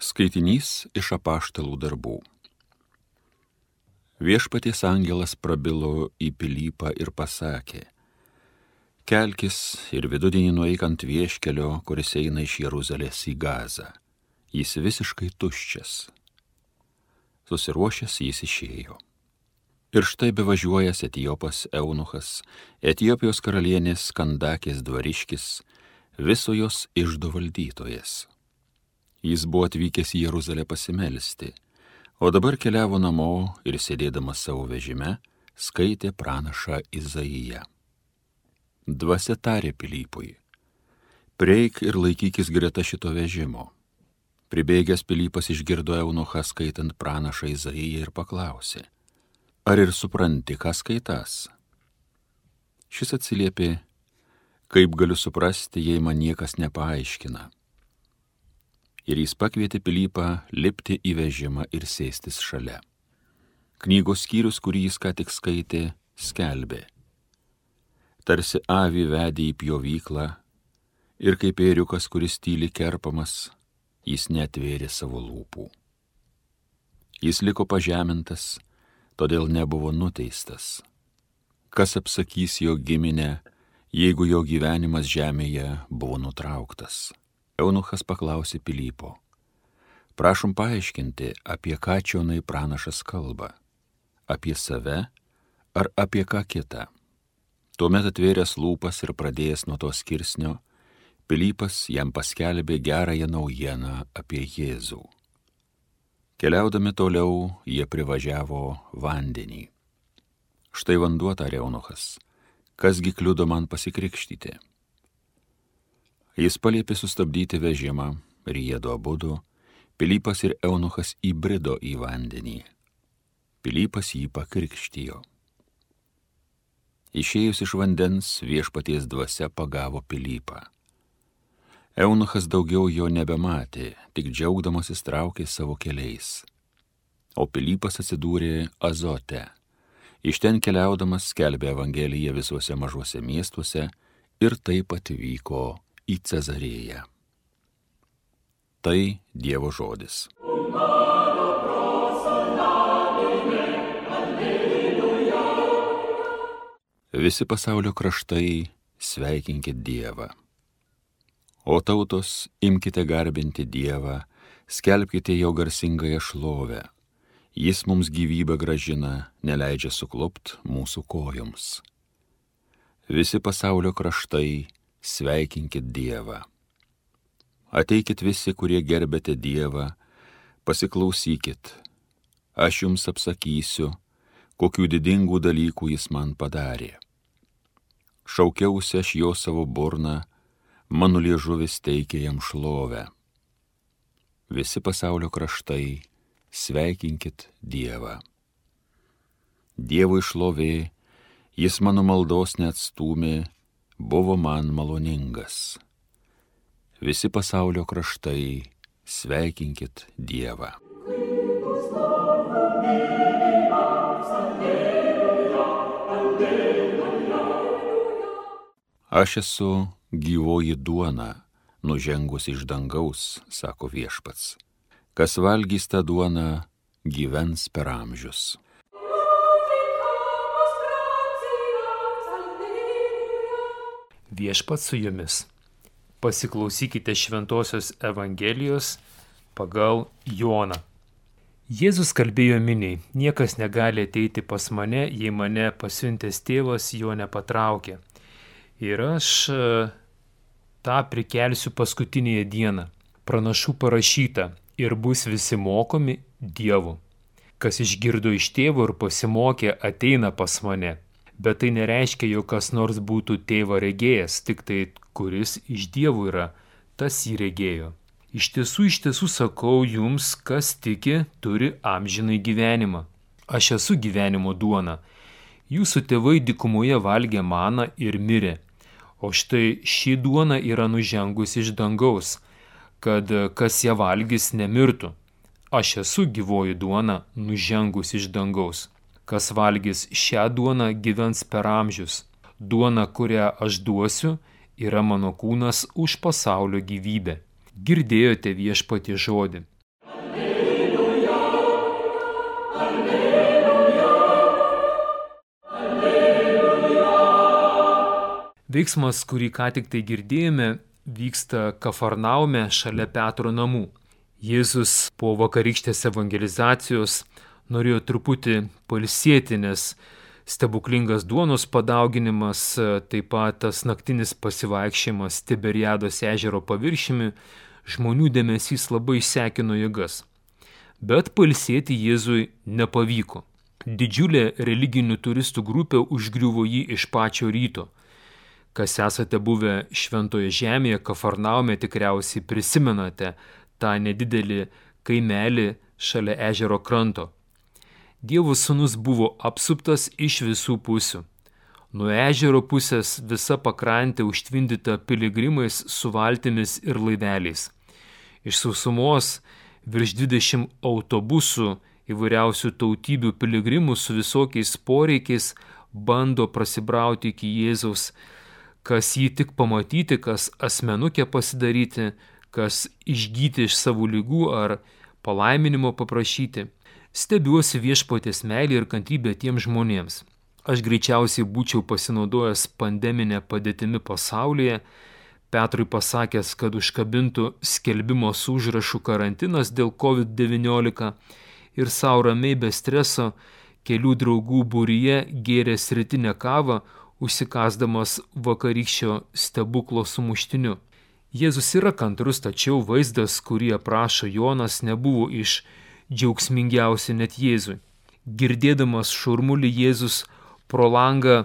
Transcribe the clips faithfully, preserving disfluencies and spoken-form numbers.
Skaitinys iš apaštalų darbų. Viešpaties angelas prabilo į Pilypą ir pasakė: Kelkis ir vidudienį nueik ant vieškelio, kuris eina iš Jeruzalės į Gazą. Jis visiškai tuščias. Susiruošęs jis išėjo. Ir štai bevažiuojas Etiopas eunuchas, Etiopijos karalienės Kandakės dvariškis, viso jos iždo valdytojas. Jis buvo atvykęs į Jeruzalę pasimelsti, o dabar keliavo namo ir sėdėdamas savo vežime, skaitė pranašą Izaiją. Dvasia tarė Pilypui: Prieik ir laikykis greta šito vežimo. Pribėgęs Pilypas išgirdo eunuchą skaitant pranašą Izaiją ir paklausė: Ar ir supranti, ką skaitas? Šis atsiliepė: Kaip galiu suprasti, jei man niekas nepaaiškina? Ir jis pakvietė Pilypą lipti į vežimą ir sėstis šalia. Knygos skyrius, kurį jis ką tik skaitė, skelbė: Tarsi avį vedė į pjovyklą, ir kaip ėriukas, kuris tyli kerpamas, jis neatvėrė savo lūpų. Jis liko pažemintas, todėl nebuvo nuteistas. Kas apsakys jo giminę, jeigu jo gyvenimas žemėje buvo nutrauktas? Eunuchas paklausė Pilypo: Prašom paaiškinti, apie ką čionai pranašas kalba, apie save ar apie ką kitą? Tuomet atvėręs lūpas ir pradėjęs nuo to skirsnio, Pilypas jam paskelbė gerąją naujieną apie Jėzų. Keliaudami toliau, jie privažiavo vandenį. Štai vanduo, tarė eunuchas, kasgi kliudo man pasikrikštyti? Jis paliepė sustabdyti vežimą ir jiedu abudu, Pilypas ir eunuchas, įbrido į vandenį. Pilypas jį pakrikštijo. Išėjus iš vandens, viešpaties dvasia pagavo Pilypą. Eunuchas daugiau jo nebematė, tik džiaugdamasis traukė savo keliais. O Pilypas atsidūrė Azote. Iš ten keliaudamas skelbė evangeliją visuose mažuose miestuose ir taip atvyko į Cezarėją. Tai Dievo žodis. Visi pasaulio kraštai, sveikinkit Dievą. O tautos, imkite garbinti Dievą, skelbkite jo garsingąją šlovę. Jis mums gyvybę gražina, neleidžia suklupt mūsų kojoms. Visi pasaulio kraštai, sveikinkit Dievą. Ateikit visi, kurie gerbėte Dievą, pasiklausykit. Aš jums apsakysiu, kokių didingų dalykų jis man padarė. Šaukiausi aš jo savo burną, mano liežuvis teikė jam šlovę. Visi pasaulio kraštai, sveikinkit Dievą. Dievui šlovė, jis mano maldos neatstūmė, buvo man maloningas. Visi pasaulio kraštai, sveikinkit Dievą. Aš esu gyvoji duona, nužengus iš dangaus, sako viešpats. Kas valgys tą duoną, gyvens per amžius. Viešpats su jumis. Pasiklausykite šventosios Evangelijos pagal Joną. Jėzus kalbėjo miniai: Niekas negali ateiti pas mane, jei mane pasiuntęs tėvas jo nepatraukė. Ir aš tą prikelsiu paskutinėje dieną. Pranašų parašyta: ir bus visi mokomi Dievu. Kas išgirdo iš tėvo ir pasimokė, ateina pas mane. Bet tai nereiškia, jog kas nors būtų tėvą regėjęs, tik tai kuris iš Dievo yra, tas jį regėjo. Iš tiesų, iš tiesų sakau jums, kas tiki, turi amžinai gyvenimą. Aš esu gyvenimo duona. Jūsų tėvai dykumoje valgė maną ir mirė. O štai ši duona yra nužengus iš dangaus, kad kas ją valgys nemirtų. Aš esu gyvoji duona, nužengus iš dangaus. Kas valgys šią duoną, gyvens per amžius. Duona, kurią aš duosiu, yra mano kūnas už pasaulio gyvybę. Girdėjote viešpatie žodį. Veiksmas, kurį ką tik tai girdėjome, vyksta Kafarnaume šalia Petro namų. Jėzus po vakarykštės evangelizacijos norėjo truputį pailsėti, nes stebuklingas duonos padauginimas, taip pat tas naktinis pasivaikščiojimas Tiberiados ežero paviršiumi, žmonių dėmesys labai sekino jėgas. Bet pailsėti Jėzui nepavyko. Didžiulė religinių turistų grupė užgriuvo jį iš pačio ryto. Kas esate buvę Šventoje žemėje, Kafarnaume, tikriausiai prisimenate tą nedidelį kaimelį šalia ežero kranto. Dievo sūnus buvo apsuptas iš visų pusių. Nuo ežero pusės visa pakrantė užtvindyta piligrimais su valtimis ir laiveliais. Iš sausumos virš dvidešimt autobusų įvairiausių tautybių piligrimų su visokiais poreikiais bando prasibrauti iki Jėzaus, kas jį tik pamatyti, kas asmenukę pasidaryti, kas išgyti iš savo ligų ar palaiminimo paprašyti. Stebiuosi viešpaties meilė ir kantrybė tiems žmonėms. Aš greičiausiai būčiau pasinaudojęs pandeminę padėtimi pasaulyje, Petrui pasakęs, kad užkabintų skelbimo su užrašu karantinas dėl kovid devyniolika ir sau ramiai be streso kelių draugų būryje gėręs rytinę kavą, užsikasdamas vakarykščio stebuklo sumuštiniu. Jėzus yra kantrus, tačiau vaizdas, kurį aprašo Jonas, nebuvo iš džiaugsmingiausia net Jėzui. Girdėdamas šurmulį, Jėzus pro langą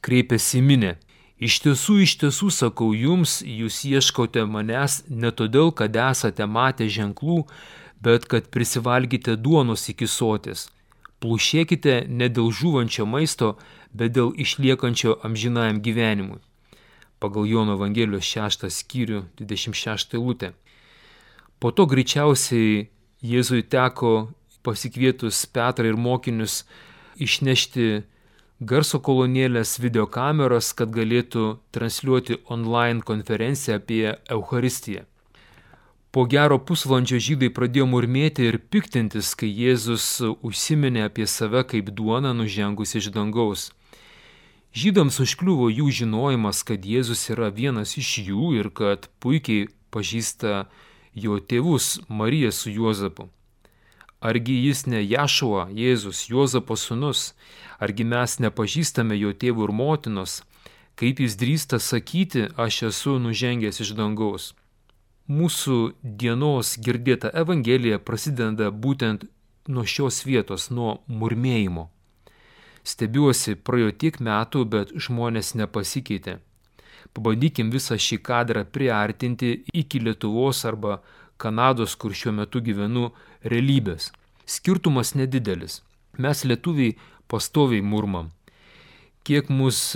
kreipėsi į minią. Iš tiesų, iš tiesų sakau jums, jūs ieškote manęs ne todėl, kad esate matę ženklų, bet kad prisivalgite duonos iki soties. Plušėkite ne dėl žūvančio maisto, bet dėl išliekančio amžinajam gyvenimui. Pagal Jono Evangelijos šeštą skyrių, dvidešimt šeštą eilutę. Po to greičiausiai Jėzui teko pasikvietus Petrą ir mokinius išnešti garso kolonėlės, videokameras, kad galėtų transliuoti online konferenciją apie Eucharistiją. Po gero pusvalandžio žydai pradėjo murmėti ir piktintis, kai Jėzus užsiminė apie save kaip duoną nužengus iš dangaus. Žydams užkliuvo jų žinojimas, kad Jėzus yra vienas iš jų ir kad puikiai pažįsta jo tėvus Mariją su Juozapu. Argi jis ne Jašua, Jėzus, Juozapo sūnus? Argi mes nepažįstame jo tėvų ir motinos? Kaip jis drįsta sakyti, aš esu nužengęs iš dangaus? Mūsų dienos girdėta Evangelija prasideda būtent nuo šios vietos, nuo murmėjimo. Stebiuosi, praėjo tiek metų, bet žmonės nepasikeitė. Pabandykim visą šį kadrą priartinti iki Lietuvos arba Kanados, kur šiuo metu gyvenu, realybės. Skirtumas nedidelis. Mes lietuviai pastoviai murmam. Kiek mus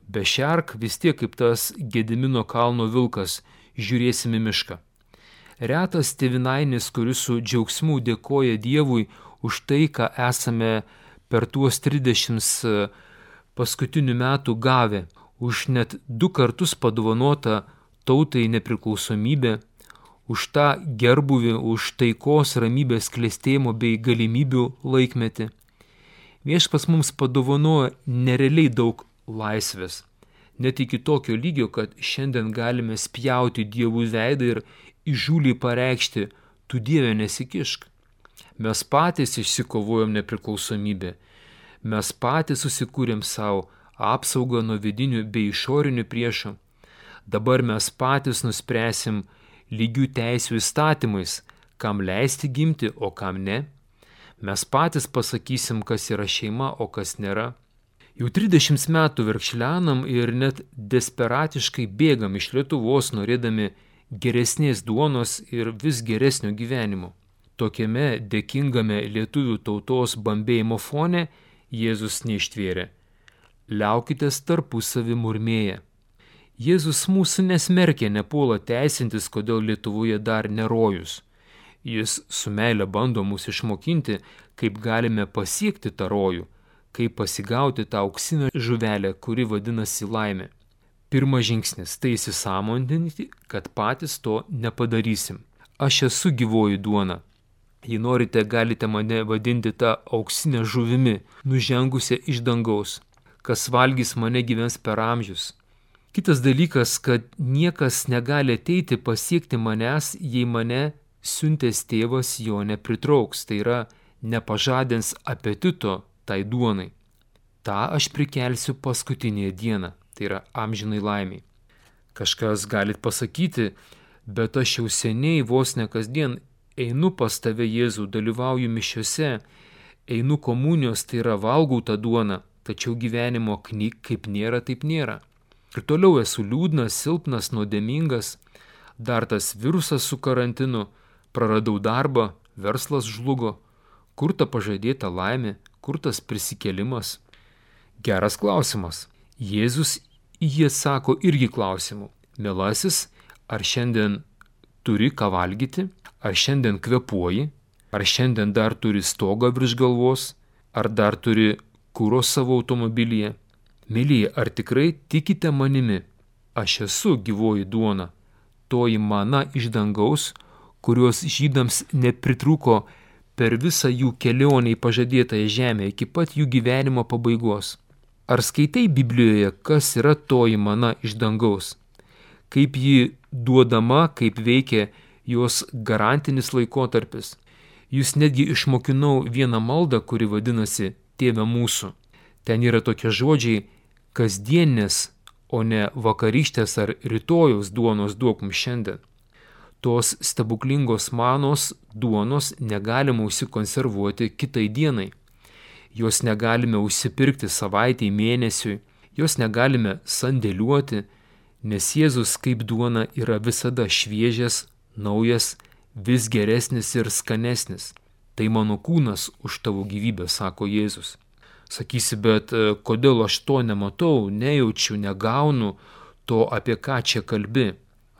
bešerk, vis tiek kaip tas Gedimino kalno vilkas žiūrėsim į mišką. Retas tėvynainis, kuris su džiaugsmu dėkoja Dievui už tai, ką esame per tuos trisdešimt paskutinių metų gavę, už net du kartus padovanotą tautai nepriklausomybę, už tą gerbuvį, už taikos, ramybės, klestėjimo bei galimybių laikmetį. Viešpats mums padovanojo nerealiai daug laisvės, net iki tokio lygio, kad šiandien galime spjauti Dievų veidą ir įžūliai pareikšti, tu Dieve nesikišk. Mes patys išsikovojom nepriklausomybę, mes patys susikūrėm savo apsaugą nuo vidinių bei išorinių priešų. Dabar mes patys nuspręsim lygių teisių įstatymais, kam leisti gimti, o kam ne. Mes patys pasakysim, kas yra šeima, o kas nėra. Jau trisdešimt metų verkšlenam ir net desperatiškai bėgam iš Lietuvos, norėdami geresnės duonos ir vis geresnio gyvenimo. Tokiame dėkingame lietuvių tautos bambėjimo fone Jėzus neištvėrė. Liaukitės tarpusavį murmėję. Jėzus mūsų nesmerkė, nepuola teisintis, kodėl Lietuvoje dar nerojus. Jis su meile bando mus išmokinti, kaip galime pasiekti tą rojų, kaip pasigauti tą auksinę žuvelę, kuri vadinasi laimė. Pirmas žingsnis – tai įsisąmoninti, kad patys to nepadarysim. Aš esu gyvoji duona. Jei norite, galite mane vadinti tą auksinę žuvimi, nužengusią iš dangaus. Kas valgys mane gyvens per amžius. Kitas dalykas, kad niekas negali ateiti pasiekti manęs, jei mane siuntęs tėvas jo nepritrauks, tai yra nepažadins apetito tai duonai. Ta aš prikelsiu paskutinėje dieną, tai yra amžinai laimiai. Kažkas galit pasakyti, bet aš jau seniai vos ne kasdien einu pas tave, Jėzų, dalyvauju mišiose, einu komunijos, tai yra valgau tą duoną, tačiau gyvenimo knyg kaip nėra, taip nėra. Ir toliau esu liūdnas, silpnas, nuodėmingas, dar tas virusas su karantinu, praradau darbą, verslas žlugo, kur ta pažadėta laimė, kur tas prisikėlimas? Geras klausimas. Jėzus į jį atsako irgi klausimu. Mielasis, ar šiandien turi ką valgyti, ar šiandien kvepuoji, ar šiandien dar turi stogą virš galvos, ar dar turi kuro savo automobilyje? Mylėjai, ar tikrai tikite manimi? Aš esu gyvoji duona, toji mana iš dangaus, kurios žydams nepritrūko per visą jų kelionę į pažadėtąją žemę iki pat jų gyvenimo pabaigos. Ar skaitai Biblijoje, kas yra toji mana iš dangaus? Kaip ji duodama, kaip veikia jos garantinis laikotarpis? Jūs netgi išmokinau vieną maldą, kuri vadinasi Tėve mūsų. Ten yra tokie žodžiai kasdienės, o ne vakarykštės ar rytojaus duonos duok mums šiandien. Tos stebuklingos manos duonos negalima užsikonservuoti kitai dienai. Jos negalime užsipirkti savaitei, mėnesiui, jos negalime sandėliuoti, nes Jėzus kaip duona yra visada šviežias, naujas, vis geresnis ir skanesnis. Tai mano kūnas už tavo gyvybę, sako Jėzus. Sakysi, bet kodėl aš to nematau, nejaučiu, negaunu to, apie ką čia kalbi?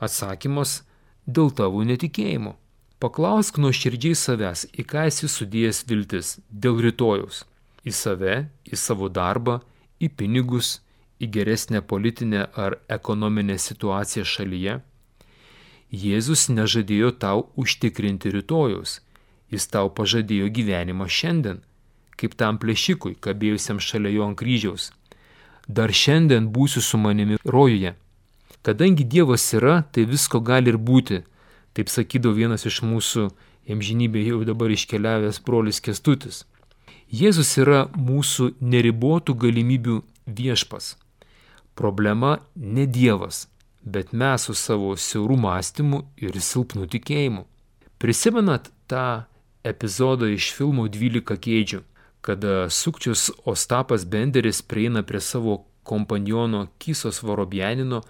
Atsakymas – dėl tavo netikėjimo. Paklausk nuoširdžiai savęs, į ką esi sudėjęs viltis dėl rytojaus. Į save, į savo darbą, į pinigus, į geresnę politinę ar ekonominę situaciją šalyje. Jėzus nežadėjo tau užtikrinti rytojaus, jis tau pažadėjo gyvenimą šiandien, kaip tam plėšikui, kabėjusiam šalia jo ant kryžiaus. Dar šiandien būsiu su manimi rojuje. Kadangi Dievas yra, tai visko gali ir būti, taip sakydavo vienas iš mūsų amžinybėje jau dabar iškeliavęs brolis Kęstutis. Jėzus yra mūsų neribotų galimybių viešpas. Problema ne Dievas, bet mes su savo siauru mąstymu ir silpnu tikėjimu. Prisimenat tą epizodą iš filmo dvylika kėdžių, kada sukčius Ostapas Benderis prieina prie savo kompaniono Kysos Vorobjanino,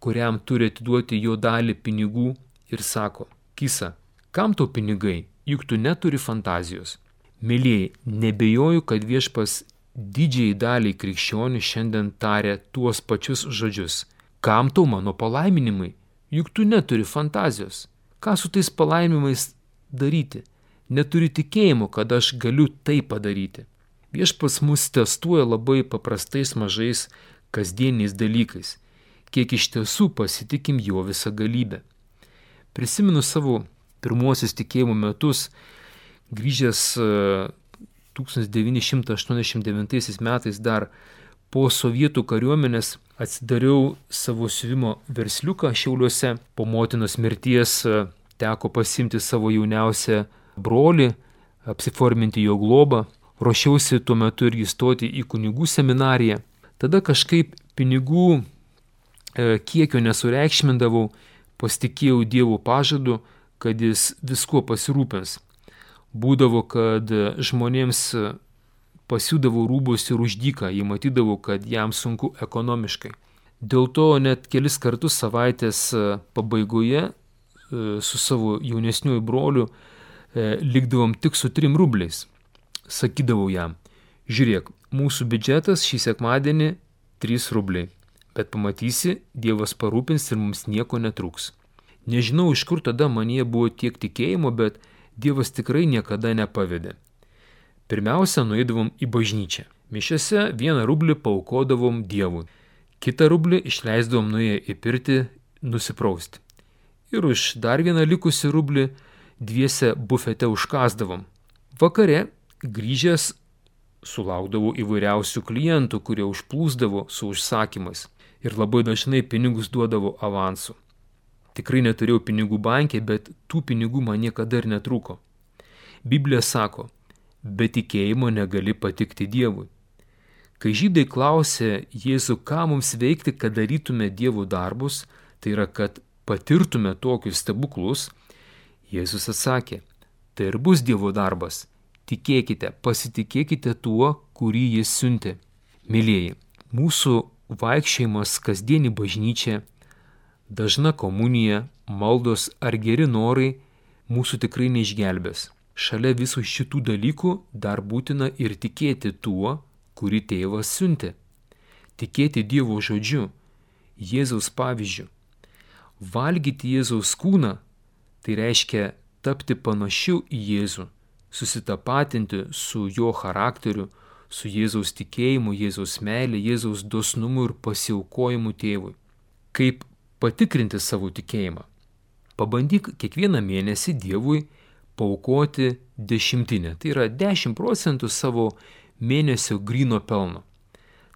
kuriam turi atiduoti jo dalį pinigų ir sako: Kysa, kam tau pinigai, juk tu neturi fantazijos. Mylėjai, nebejoju, kad Viešpas didžiai daliai krikščionių šiandien taria tuos pačius žodžius. Kam tau mano palaiminimai, juk tu neturi fantazijos. Ką su tais palaiminimais daryti? Neturi tikėjimo, kad aš galiu tai padaryti. Viešpats mus testuoja labai paprastais mažais kasdieniais dalykais, kiek iš tiesų pasitikim jo visą galybę. Prisimenu savo pirmuosius tikėjimo metus, grįžęs tūkstantis devyni šimtai aštuoniasdešimt devintaisiais metais dar po sovietų kariuomenės, atsidariau savo siuvimo versliuką Šiauliuose. Po motinos mirties teko pasimti savo jauniausią brolį, apsiforminti jo globą. Ruošiausi tuo metu irgi stoti į kunigų seminariją. Tada kažkaip pinigų e, kiekio nesureikšmindavau, pasitikėjau Dievo pažadu, kad jis viskuo pasirūpins. Būdavo, kad žmonėms pasiūdavo rūbus ir už dyką, jie matydavo, kad jam sunku ekonomiškai. Dėl to net kelis kartus savaitės pabaigoje su savo jaunesniuoju broliu likdavom tik su trim rubliais. Sakydavau jam: žiūrėk, mūsų biudžetas šį sekmadienį trys rubliai, bet pamatysi, Dievas parūpins ir mums nieko netrūks. Nežinau, iš kur tada manyje buvo tiek tikėjimo, bet Dievas tikrai niekada nepavedė. Pirmiausia, nueidavom į bažnyčią. Mišiose vieną rublį paaukodavom Dievui. Kitą rublį išleisdavom nuėję į pirtį nusiprausti. Ir už dar vieną likusį rublį dviese bufete užkasdavom. Vakare grįžęs sulaukdavau įvairiausių klientų, kurie užplūsdavo su užsakymais. ir labai dažnai pinigus duodavo avansu. Tikrai neturėjau pinigų bankė, bet tų pinigų man niekada ir netrūko. Biblija sako, be tikėjimo negali patikti Dievui. Kai žydai klausė Jėzų, ką mums veikti, kad darytume Dievo darbus, tai yra, kad patirtume tokius stebuklus, Jėzus atsakė, tai ir bus Dievo darbas. Tikėkite, pasitikėkite tuo, kurį Jis siuntė. Mylėjai, mūsų vaikščiojimas kasdienį bažnyčią, dažna komunija, maldos ar geri norai mūsų tikrai neišgelbės. Šalia visų šitų dalykų dar būtina ir tikėti tuo, kurį tėvas siuntė. Tikėti Dievo žodžiu, Jėzaus pavyzdžiu. Valgyti Jėzaus kūną, tai reiškia tapti panašiu į Jėzų, susitapatinti su jo charakteriu, su Jėzaus tikėjimu, Jėzaus meilė, Jėzaus dosnumu ir pasiaukojimu tėvui. Kaip patikrinti savo tikėjimą? Pabandyk kiekvieną mėnesį Dievui paaukoti dešimtinę. Tai yra dešimt procentų savo mėnesio gryno pelno.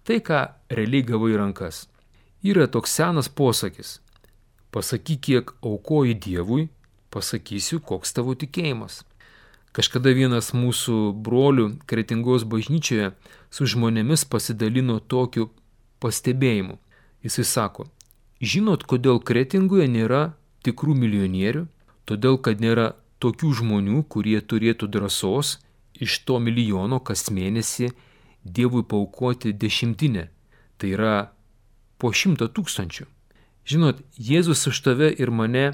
Tai, ką realiai gavai į rankas. Yra toks senas posakis. Pasakyk, kiek aukoji Dievui, pasakysiu, koks tavo tikėjimas. Kažkada vienas mūsų brolių Kretingos bažnyčioje su žmonėmis pasidalino tokiu pastebėjimu. Jisai sako, žinot, kodėl Kretingoje nėra tikrų milijonierių? Todėl, kad nėra tokių žmonių, kurie turėtų drąsos iš to milijono kas mėnesį Dievui paaukoti dešimtinę. Tai yra po šimtą tūkstančių. Žinot, Jėzus už tave ir mane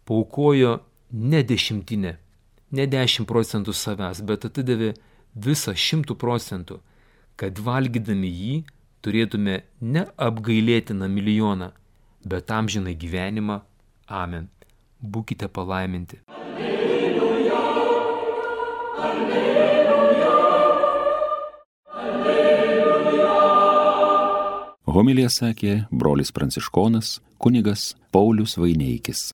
paaukojo ne dešimtinę, ne dešimt procentų savęs, bet atidavė visą šimtų procentų, kad valgydami jį turėtume ne apgailėtiną milijoną, bet amžiną gyvenimą. Amen. Būkite palaiminti. Alleluja, alleluja, alleluja. Homiliją sakė brolis pranciškonas kunigas Paulius Vaineikis.